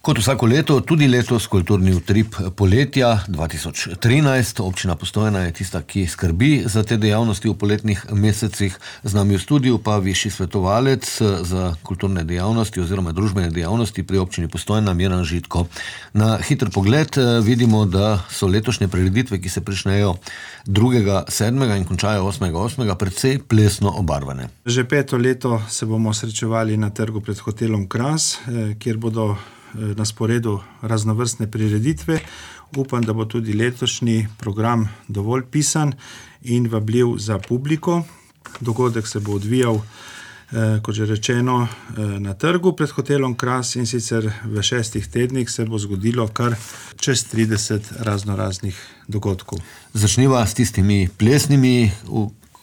Kot vsako leto, tudi letos kulturni utrip poletja 2013. Občina Postojna je tista, ki skrbi za te dejavnosti v poletnih mesecih. Z nami v studiu pa višji svetovalec za kulturne dejavnosti oziroma družbene dejavnosti pri občini Postojna, Miran Žitko. Na hiter pogled vidimo, da so letošnje prireditve, ki se pričnejo 2.7. in končajo 8.8., precej plesno obarvane. Že 5. leto se bomo srečevali na trgu pred hotelom Kras, kjer bodo na sporedu raznovrstne prireditve. Upam, da bo tudi letošnji program dovolj pisan in vabljiv za publiko. Dogodek se bo odvijal, kot že rečeno, na trgu pred hotelom Kras, in sicer v 6 tednih se bo zgodilo kar čez 30 raznoraznih dogodkov. Začniva s tistimi plesnimi,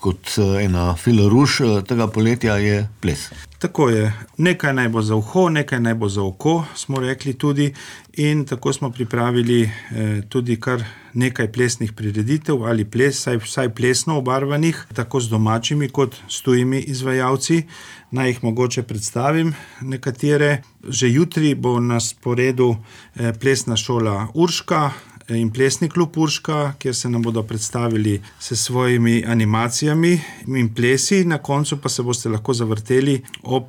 kot ena filoruš tega poletja je ples. Tako je. Nekaj naj bo za uho, nekaj naj bo za oko, smo rekli tudi, in tako smo pripravili tudi kar nekaj plesnih prireditev ali vsaj plesno obarvanih, tako z domačimi kot s tujimi izvajalci. Naj jih mogoče predstavim nekatere. Že jutri bo na sporedu plesna šola Urška in plesni klub Urška, kjer se nam bodo predstavili s svojimi animacijami in plesi. Na koncu pa se boste lahko zavrteli ob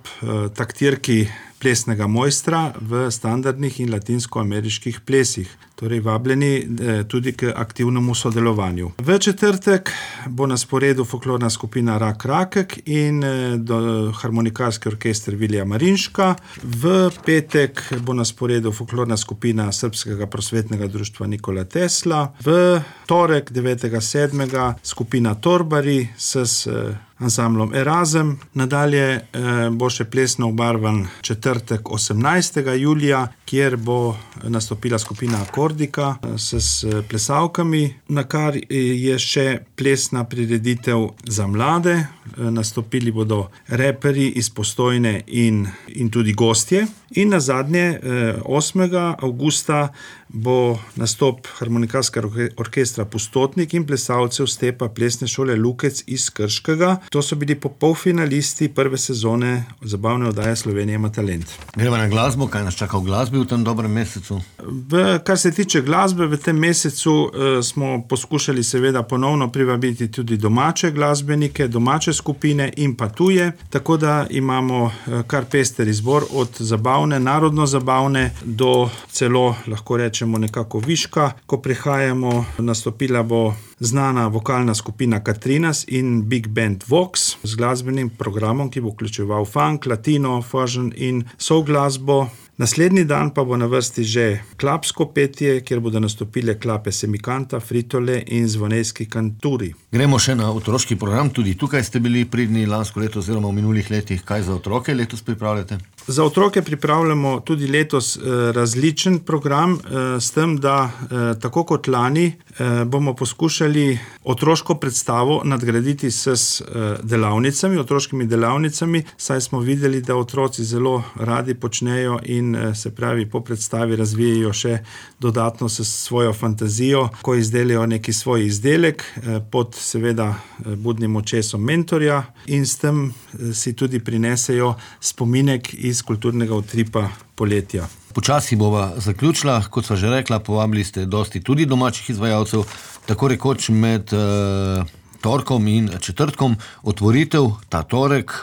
taktirki plesnega mojstra v standardnih in latinskoameriških plesih. Torej vabljeni tudi k aktivnemu sodelovanju. V četrtek bo na sporedu folklorna skupina Rak Rakek in harmonikarski orkester Vilija Marinška. V petek bo na sporedu folklorna skupina Srbskega prosvetnega društva Nikola Tesla. V torek 9.7. skupina Torbari s ansamblom Erazem. Nadalje bo še plesno obarvan četrtek 18. julija, kjer bo nastopila skupina Akordika s plesavkami, na kar je še plesna prireditev za mlade. Nastopili bodo reperi iz Postojne in tudi gostje. In nazadnje 8. avgusta bo nastop harmonikarskega orkestra Pustotnik in plesalcev Stepa plesne šole Lukec iz Krškega. To so bili polfinalisti prve sezone zabavne oddaje Slovenija ima talent. Gremo na glasbo, kaj nas čaka v glasbi v tem dobrem mesecu? Kar se tiče glasbe, v tem mesecu smo poskušali seveda ponovno privabiti tudi domače glasbenike, domače skupine in pa tuje, tako da imamo kar pester izbor od zabavne, narodno zabavne do celo, lahko rečemo, nekako viška. Ko prihajamo, nastopila bo znana vokalna skupina Katrinas in Big Band Vox z glasbenim programom, ki bo vključeval funk, latino, fusion in soul glasbo. Naslednji dan pa bo na vrsti že klapsko petje, kjer bodo nastopile klape Semikanta, Fritole in Zvonejski kanturi. Gremo še na otroški program. Tudi tukaj ste bili pridni lansko leto oziroma v minulih letih. Kaj za otroke letos pripravljate? Za otroke pripravljamo tudi letos različen program, s tem, da tako kot lani bomo poskušali otroško predstavo nadgraditi s delavnicami, otroškimi delavnicami, saj smo videli, da otroci zelo radi počnejo in se pravi po predstavi razvijajo še dodatno s svojo fantazijo, ko izdelajo neki svoj izdelek pod seveda budnim očesom mentorja in s tem si tudi prinesejo spominek iz kulturnega utripa poletja. Počasi bova zaključila, kot sva že rekla, povabili ste dosti tudi domačih izvajalcev, tako rekoč med torkom in četrtkom. Otvoritev ta torek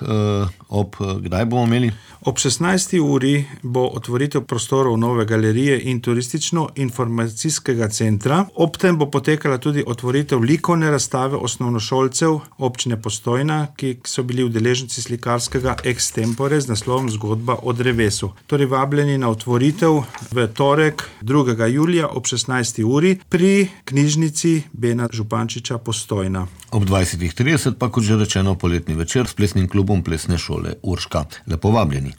ob kdaj bomo imeli? Ob 16. uri bo otvoritev prostorov nove galerije in turistično-informacijskega centra. Ob tem bo potekala tudi otvoritev likovne razstave osnovnošolcev občine Postojna, ki so bili udeleženci slikarskega extempore z naslovom Zgodba o drevesu. Torej vabljeni na otvoritev v torek 2. julija ob 16. uri pri knjižnici Bena Župančiča Postojna. Ob 20.30 pa, kot že rečeno, poletni večer s plesnim klubom plesne šole Urška. Lepo vabljeni.